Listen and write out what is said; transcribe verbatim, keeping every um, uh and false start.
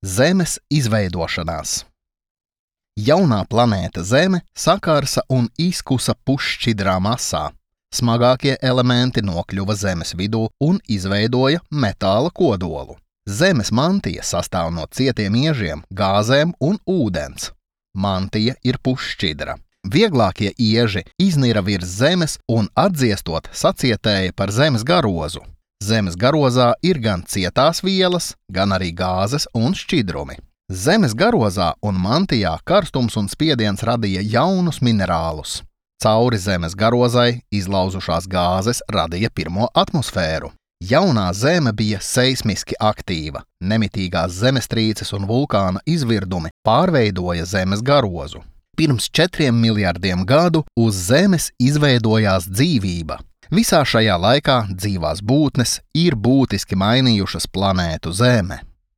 Zemes izveidošanās. Jaunā planēta Zeme sakarsa un izkusa pusšķidrā masā. Smagākie elementi nokļuva Zemes vidū un izveidoja metāla kodolu. Zemes mantija sastāv no cietiem iežiem, gāzēm un ūdens. Mantija ir pusšķidra. Vieglākie ieži iznira virs Zemes un atdziestot sacietēja par Zemes garozu. Zemes garozā ir gan cietās vielas, gan arī gāzes un šķidrumi. Zemes garozā un mantijā karstums un spiediens radīja jaunus minerālus. Cauri Zemes garozai izlauzušās gāzes radīja pirmo atmosfēru. Jaunā Zeme bija seismiski aktīva. Nemitīgās zemestrīces un vulkāna izvirdumi pārveidoja Zemes garozu. Pirms četriem miljardiem gadu uz Zemes izveidojās dzīvība. Visā šajā laikā dzīvās būtnes ir būtiski mainījušas planētu Zeme.